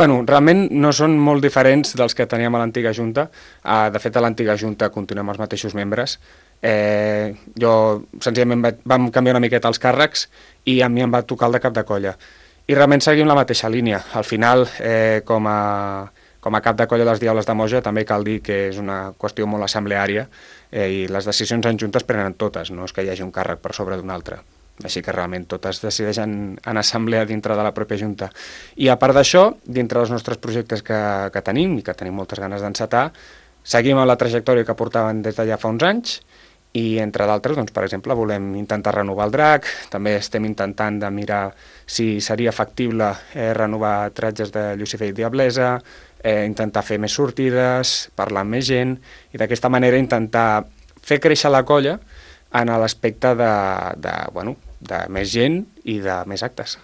Bueno, realment no són molt diferents dels que teníem a l'antiga Junta. De fet, a l'antiga Junta continuem els mateixos membres. Jo, senzillament, vam canviar una miqueta els càrrecs i a mi em va tocar el de cap de colla. I realment seguim la mateixa línia. Al final, com a cap de colla dels Diables de Moja, també cal dir que és una qüestió molt assembleària i les decisions en Junta es prenen totes, no és que hi hagi un càrrec per sobre d'un altre. Així que realment totes decideixen en assemblea dintre de la pròpia Junta. I a part d'això, dintre dels nostres projectes que tenim, i que tenim moltes ganes d'encetar, seguim amb la trajectòria que portaven des d'allà fa uns anys, i entre d'altres, doncs, per exemple, volem intentar renovar el drac, també estem intentant de mirar si seria factible renovar tratges de Llucifer i Diablesa, intentar fer més sortides, parlar amb més gent, i d'aquesta manera intentar fer créixer la colla en l'aspecte de més gent i de més actes.